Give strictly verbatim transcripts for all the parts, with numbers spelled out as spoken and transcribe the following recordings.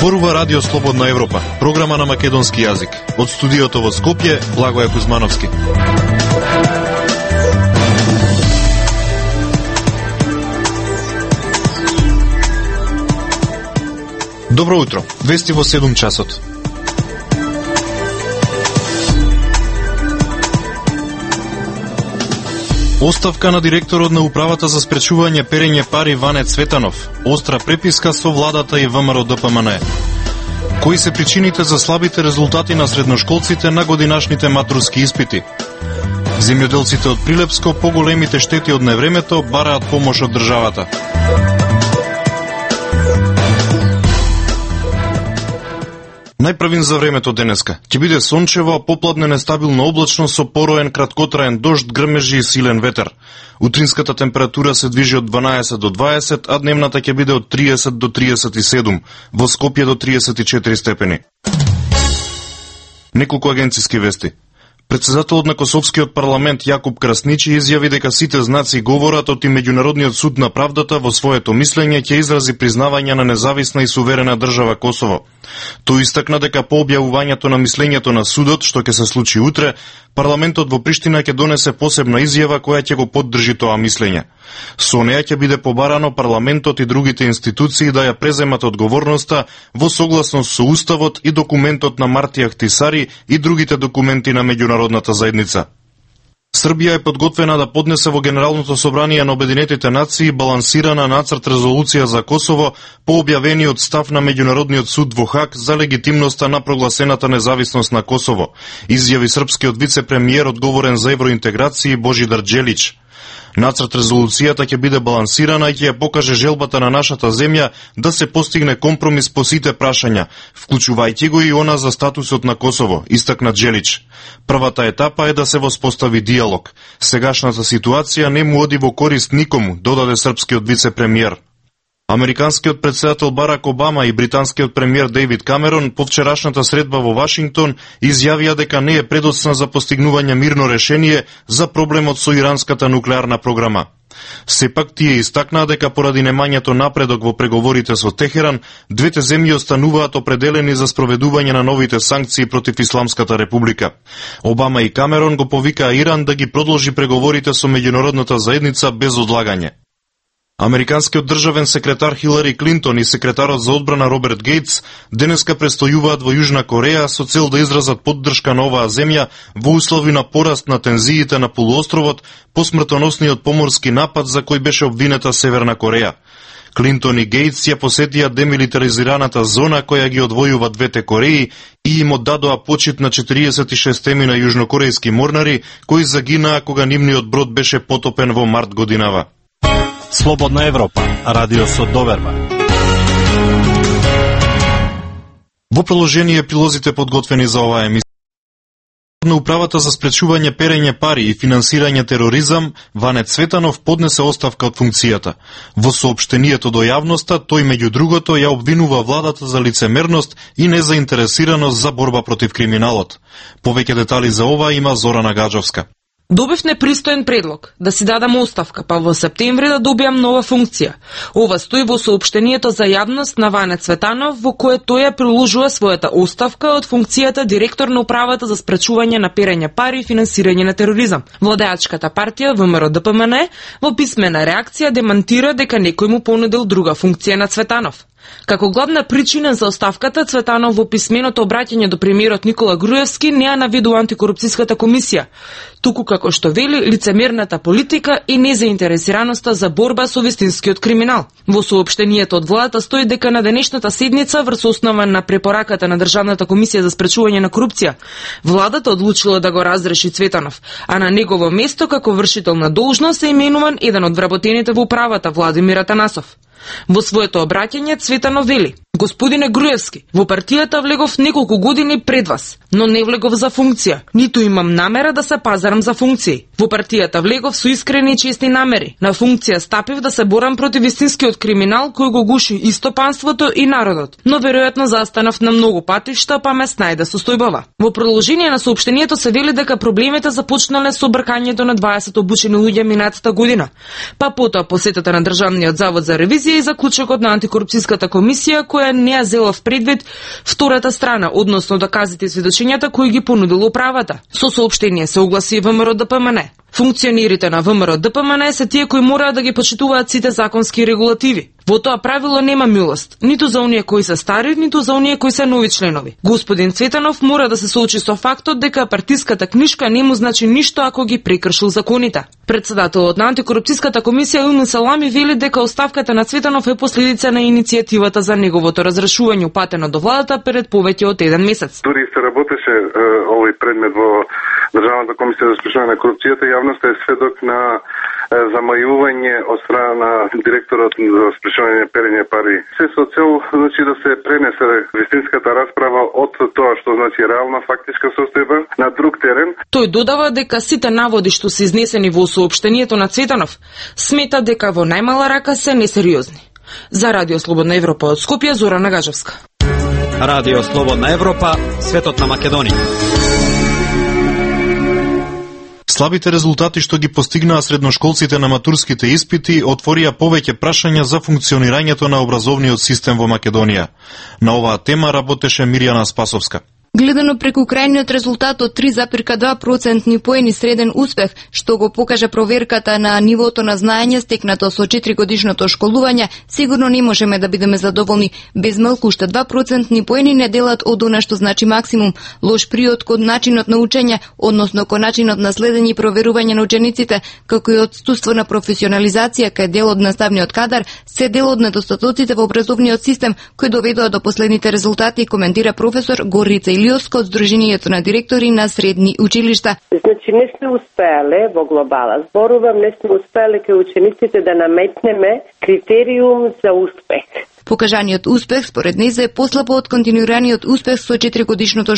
Зборува Радио Слободна Европа, програма на македонски јазик. Од студиото во Скопје, Благоје Кузмановски. Добро утро, вести во седум часот. Оставка на директорот на Управата за спречување перење пари Ване Цветанов. Остра преписка со владата и ВМРО Д П М Н. Кои се причините за слабите резултати на средношколците на годинашните матурски испити? Земјоделците од Прилепско по големите штети од невремето бараат помош од државата. Најпрвин за времето денеска. Ќе биде сончево, а попладне нестабилно облачно со пороен краткотраен дожд, грмежи и силен ветер. Утринската температура се движи од дванаесет до дваесет, а дневната ќе биде од триесет до триесет и седум, во Скопје до триесет и четири степени. Неколку агенциски вести. Председателот на Косовскиот парламент Јакуп Красничи изјави дека сите знаци говорат од и Меѓународниот суд на правдата во своето мислење ќе изрази признавање на независна и суверена држава Косово. Тој истакна дека по објавувањето на мислењето на судот, што ќе се случи утре, парламентот во Приштина ќе донесе посебна изјава која ќе го поддржи тоа мислење. Со неја ќе биде побарано парламентот и другите институции да ја преземат одговорноста во согласност со Уставот и документот на Мартија Ахтисари и другите документи на меѓународната заедница. Србија е подготвена да поднесе во Генералното собрание на Обединетите нации балансирана нацрт резолуција за Косово по објавениот став на Меѓународниот суд во Хаг за легитимноста на прогласената независност на Косово, изјави српскиот вице-премиер одговорен за евроинтеграција Божидар Џелич. Нацрт резолуцијата ќе биде балансирана и ќе ја покаже желбата на нашата земја да се постигне компромис по сите прашања, вклучувајќи го и она за статусот на Косово, истакна Џелич. Првата етапа е да се воспостави диалог. Сегашната ситуација не му оди во корист никому, додаде српскиот вице-премиер. Американскиот председател Барак Обама и британскиот премиер Дејвид Камерон по вчерашната средба во Вашингтон изјавија дека не е предоцна за постигнување мирно решение за проблемот со иранската нуклеарна програма. Сепак тие истакнаа дека поради немањето напредок во преговорите со Техеран, двете земји остануваат определени за спроведување на новите санкции против Исламската република. Обама и Камерон го повикаа Иран да ги продолжи преговорите со меѓународната заедница без одлагање. Американскиот државен секретар Хилари Клинтон и секретарот за одбрана Роберт Гейтс денеска престојуваат во Јужна Кореја со цел да изразат поддршка на оваа земја во услови на пораст на тензиите на полуостровот по смртоносниот поморски напад за кој беше обвинета Северна Кореја. Клинтон и Гейтс ја посетија демилитаризираната зона која ги одвојува двете Кореи и им оддадоа почит на четириесет и шестемина јужнокорејски морнари кои загинаа кога нивниот брод беше потопен во март годинава. Слободна Европа, радио со доверба. Во приложение прилозите подготвени за оваа емисија. На Управата за спречување перење пари и финансирање тероризам, Ване Цветанов поднесе оставка од функцијата. Во соопштението до јавноста, тој меѓу другото ја обвинува владата за лицемерност и незаинтересираност за борба против криминалот. Повеќе детали за ова има Зорана Гаджовска. Добив непристоен предлог да си дадам оставка, па во септември да добијам нова функција. Ова стои во соопштението за јавност на Ване Цветанов, во кое тој ја приложува својата оставка од функцијата директор на Управата за спречување на перење пари и финансирање на тероризам. Владеачката партија ВМРО Д П М Н во писмена реакција демантира дека некој му понудил друга функција на Цветанов. Како главна причина за оставката, Цветанов во писменото обраќање до премиерот Никола Груевски не ја наведува антикорупцијската комисија, туку како што вели лицемерната политика и незаинтересираноста за борба со вистинскиот криминал. Во соопштението од владата стои дека на денешната седница врз основа на препораката на Државната комисија за спречување на корупција, владата одлучила да го разреши Цветанов, а на негово место како вршител на должност е именуван еден од вработените во управата Владимир Атанасов. Во своето обраќање Цветанов вели: Господине Груевски, во партијата влегов неколку години пред вас, но не влегов за функција, ниту имам намера да се пазарам за функции. Во партијата влегов со искрени и честни намери. На функција стапив да се борам против истинскиот криминал кој го гуши и стопанството и народот, но веројатно застанав на многу патишта, па ме снајде состојбава. Во продолжение на соопштението се вели дека проблемите започнале со бркањето на дваесет обучени луѓе минатата година, па потоа посетата на Државниот завод за ревизија и заклучокот на антикорупцијската комисија која дека не ја зела в предвид втората страна, односно доказите и сведочењата кои ги понудила управата. Со соопштение се огласи ВМРО Д П М Н. Функционерите на ВМРО Д П М Н се тие кои мораат да ги почитуваат сите законски регулативи. Во тоа правило нема милост, ниту за оние кои се стари, ниту за оние кои се нови членови. Господин Цветанов мора да се соочи со фактот дека партиската книшка не му значи ништо ако ги прекршил законите. Председателот на антикорупцијската комисија Илмин Салами вели дека оставката на Цветанов е последица на иницијативата за неговото разрешување упатено до владата пред повеќе од еден месец. Дури се работеше е, овој предмет во Државната комисија за спрешавање на корупцијата, јавноста е сведок на замајување од страна на директорот за спрешавање на перење пари. Се со цел значи да се пренесе вистинската расправа од тоа што значи реална фактичка состојба на друг терен. Тој додава дека сите наводи што се изнесени во соопштението на Цветанов смета дека во најмала рака се несериозни. За Радио Слободна Европа од Скопје, Зора Нагажевска. Радио Слободна Европа, светот на Македонија. Слабите резултати што ги постигнаа средношколците на матурските испити отворија повеќе прашања за функционирањето на образовниот систем во Македонија. На оваа тема работеше Мирјана Спасовска. Гледано преку крајниот резултат од три запирка два процентни поени среден успех, што го покажа проверката на нивото на знаење стекнато со четири годишното школување, сигурно не можеме да бидеме задоволни. Без малку уште два процентни поени не делат од она што значи максимум. Лош приод кон начинот на учење, односно кон начинот на следење и проверување на учениците, како и отсуство на професионализација кај дел од наставниот кадар, се дел од недостатоците во образовниот систем кои доведоа до последните резултати, коментира професор Горица Илиоско од Сдруженијето на директори на средни училишта. Значи не сме успеале во глобала, зборувам, не сме успеале кај учениците да наметнеме критериум за успех. Покажаниот успех според нејзе е послабо од континуираниот успех со четири годишното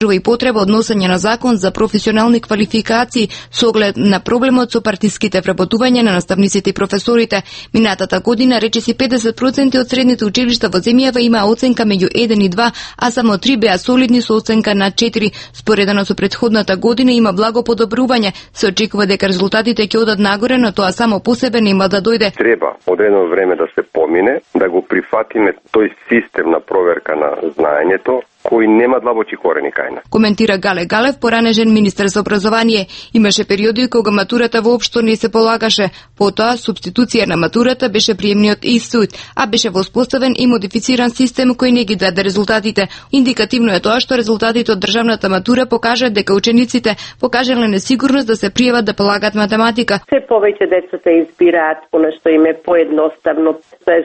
и потреба од носење на закон за професионални квалификации со оглед на проблемот со партиските вработување на наставниците и професорите. Минатата година речиси педесет проценти од средните училишта во земјава има оценка меѓу еден и два, а само три беа солидни со оценка на четири. Споредено со претходната година има благо подобрување. Се очекува дека резултатите ќе одат нагоре, но тоа само по себе нема да дојде. Треба одредено време да се помине, да го прифатиме тој систем на проверка на знаењето, кои нема длабочи корени кај нас. Коментира Гале Галев, поранежен министер за образование. Имаше периоди кога матурата воопшто не се полагаше. Потоа, субституција на матурата беше приемниот институт, а беше воспоставен и модифициран систем кој не ги даде резултатите. Индикативно е тоа што резултатите од државната матура покажат дека учениците покажале несигурност да се пријават да полагат математика. Се повеќе децата избираат понешто им е поедноставно.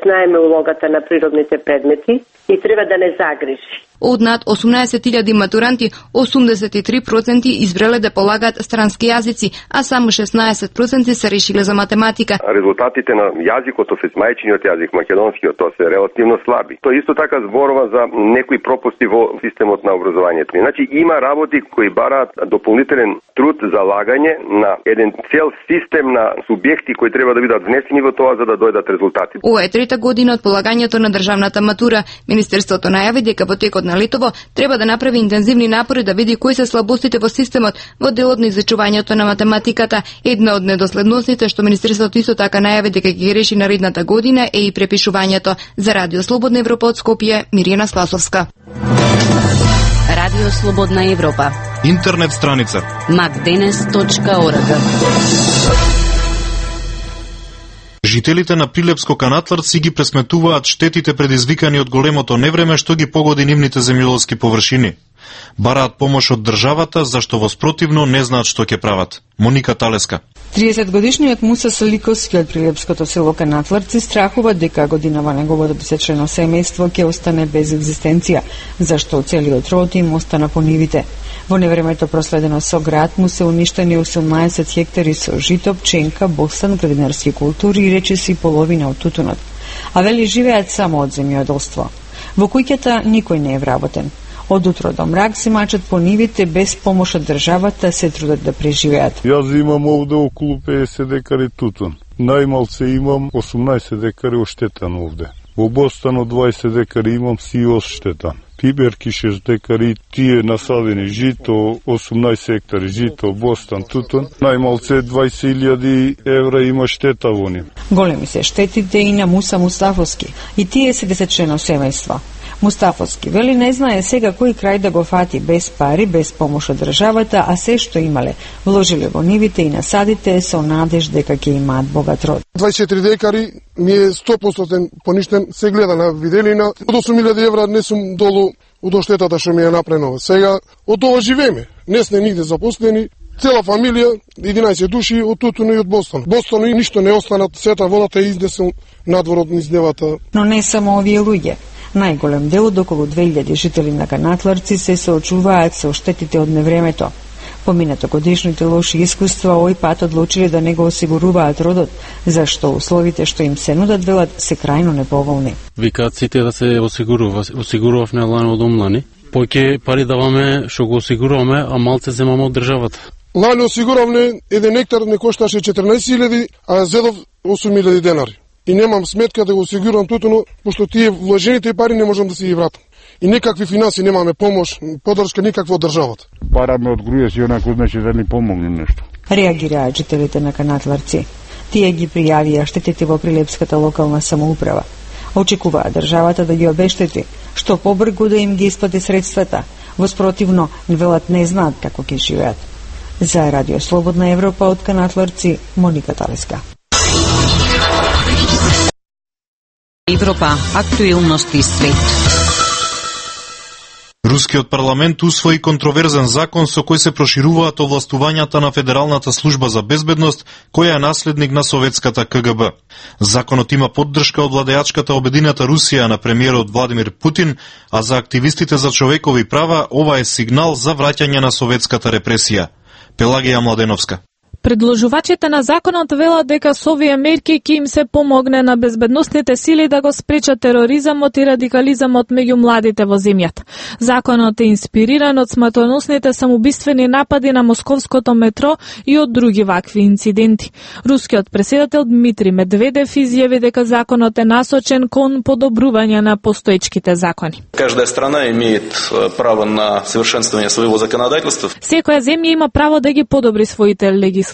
Знаеме улогата на природните предмети и треба да не загрижи. Од над осумнаесет илјади матуранти, осумдесет и три проценти избрале да полагаат странски јазици, а само шеснаесет проценти се решиле за математика. Резултатите на јазикот, офис мајчиниот јазик, македонскиот, тоа се релативно слаби. Тоа исто така зборува за некои пропусти во системот на образованието. Значи има работи кои бараат дополнителен труд, залагање на еден цел систем на субјекти кои треба да бидат внесени во тоа за да дојдат резултати. Ова е трета година од полагањето на државната матура. Министерството најави дека во текот на летово треба да направи интензивни напори да види кои се слабостите во системот во делот на изучувањето на математиката. Една од недоследностите што Министерството исто така најави дека ќе ги реши наредната година е и препишувањето. За Радио Слободна Европа од Скопје, Мирјана Спасовска. Радио Слободна Европа. Интернет страница макденес точка орг. Жителите на Прилепско-Канатлар си ги пресметуваат штетите предизвикани од големото невреме што ги погоди нивните земјоделски површини. Бараат помош од државата, зашто во спротивно не знаат што ќе прават. Моника Талеска. триесет годишниот Муса Саликовски од прилепското село Канатларци страхува дека годинава неговото десетчлено семејство ќе остане без екзистенција, зашто целиот род им остана по нивите. Во невремето проследено со град му се уништени осумнаесет хектари со жито, пченка, бостан, градинарски култури и речиси половина од тутунот. А вели живеат само од земјоделство. Во куќата никој не е вработен. Од утро до мрак се мачат по нивите без помош од државата, се трудат да преживеат. Јас имам овде околу педесет декари тутун. Најмалце имам осумнаесет декари оштетан овде. Во Бостану дваесет декари имам си оштетан. Пиберки шест декари, тие насадени жито, осумнаесет хектари жито, Бостан, тутун. Најмалце дваесет илјади евра има штета во нив. Големи се штетите и на Муса Мустафовски, и тие се десетчлено семејство. Мустафовски вели не знае сега кој крај да го фати без пари, без помош од државата, а се што имале, вложиле во нивите и насадите со надеж дека ќе имаат богат род. дваесет и четири декари ми е сто проценти поништен, се гледа на виделина. Од осум илјади евра не сум долу од оштетата што ми е направено. Сега од ова живееме. Не сме нигде запослени. Цела фамилија, единаесет души од Тутуно и од Бостон. Бостон и ништо не останат, сета водата е изнесен надвор од низ девата. Но не само овие луѓе. Најголем дел од околу две илјади жители на Канатларци се соочуваат со штетите од невремето. Поминато годишните лоши искуства овој пат одлучиле да не го осигуруваат родот, зашто условите што им се нудат, велат, се крајно неповолни. Викаат сите да се осигурува, осигуравме лано од омлани. Поќе пари даваме што го осигуруваме, а малце земаме од државата. Лани осигуравме еден нектар не кошташе четрнаесет илјади, а зедов осум илјади денари. И немам сметка да го осигурам Тутуно, пошто тие вложените пари не можам да си ги вратам. И никакви финанси немаме, помош, поддршка никаква од државата. Параме од груја си онако значи да ни помогне нешто. Реагираат жителите на Канатларци. Тие ги пријавија штетите во Прилепската локална самоуправа. Очекуваат државата да ги обештети, што побргу да им ги исплати средствата. Воспротивно, велат не знаат како ќе живеат. За Радио Слободна Европа од Канатларци, Моника Талеска. Европа, актуелности свет. Рускиот парламент усвои контроверзен закон со кој се прошируваат овластувањата на Федералната служба за безбедност, која е наследник на советската К Г Б. Законот има поддршка од владеачката Обединета Русија на премиерот Владимир Путин, а за активистите за човекови права ова е сигнал за враќање на советската репресија. Пелагија Младеновска. Предложувачите на законот велат дека со овие мерки ќе им се помогне на безбедносните сили да го спречат тероризмот и радикализмот меѓу младите во земјата. Законот е инспириран од смртоносните самоубиствени напади на московското метро и од други вакви инциденти. Рускиот претседател Дмитрий Медведев изјави дека законот е насочен кон подобрување на постоечките закони. Каждая страна имеет право на совершенствование своего законодателства. Секоја земја има право да ги подобри своите легислативи,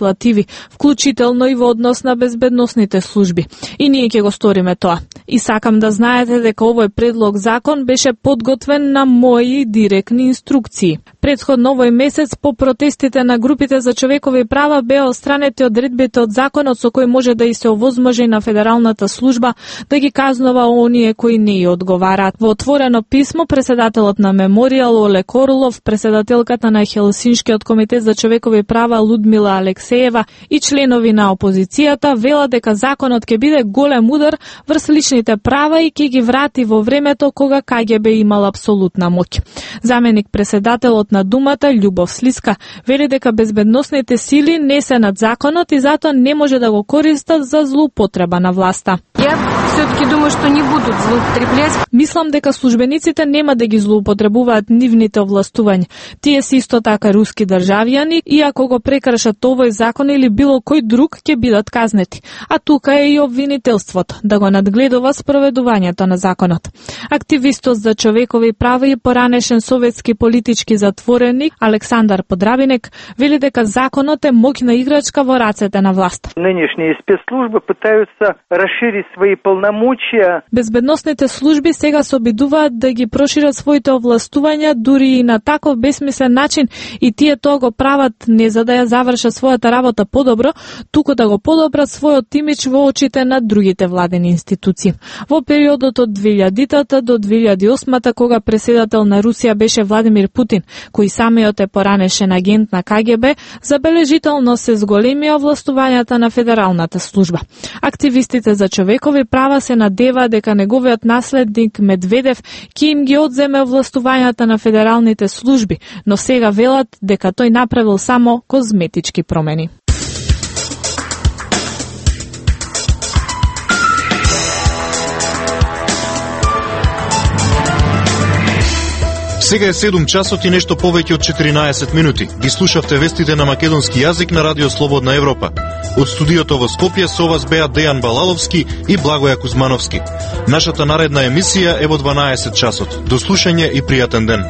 вклучително и во однос на безбедносните служби. И ние ќе го сториме тоа. И сакам да знаете дека овој предлог закон беше подготвен на мои директни инструкции. Претходно овој месец по протестите на групите за човекови права беа отстранети одредбите од законот со кој може да и се овозможи на Федералната служба да ги казнува оние кои не ја одговараат. Во отворено писмо претседателот на Меморијал Оле Королов, претседателката на Хелсиншкиот комитет за човекови права Лудмила Алексеева и членови на опозицијата велат дека законот ќе биде голем удар врз личните права и ќе ги врати во времето кога К Г Б имал апсолутна моќ. Заменик претседателот на Думата Љубов Слиска вели дека безбедносните сили не се над законот и затоа не може да го користат за злоупотреба на власта. Ја все-таки думаю што не будут злоупотреблять. Мислам дека службениците нема да ги злоупотребуваат нивните овластувања. Тие се исто така руски државјани и ако го прекршат овој закон или било кој друг ќе бидат казнети. А тука е и обвинителството да го надгледува спроведувањето на законот. Активистот за човекови права и поранешен советски политички затвореник Александар Подрабинек вели дека законот е моќна играчка во рацете на власт. Нынешние спецслужбы пытаются расширить свои полномочия. Безбедносните служби сега се обидуваат да ги прошират своите овластувања дури и на таков бесмислен начин и тие тоа го прават не за да ја завршат својата работа подобро, туку да го подобрат својот имидж во очите на другите владени институции. Во периодот од две илјадите до две илјади и осма кога претседател на Русија беше Владимир Путин, кој самиот е поранешен агент на К Г Б, забележително се зголемија овластувањата на Федералната служба. Активистите за човекови права се надева дека неговиот наследник Медведев ќе им ги одземе овластувањата на федералните служби, но сега велат дека тој направил само козметички промени. Сега е седум часот и нешто повеќе од четиринаесет минути. Ги слушавте вестите на македонски јазик на Радио Слободна Европа. Од студиото во Скопје со вас беа Дејан Балаловски и Благоја Кузмановски. Нашата наредна емисија е во дванаесет часот. До слушање и пријатен ден.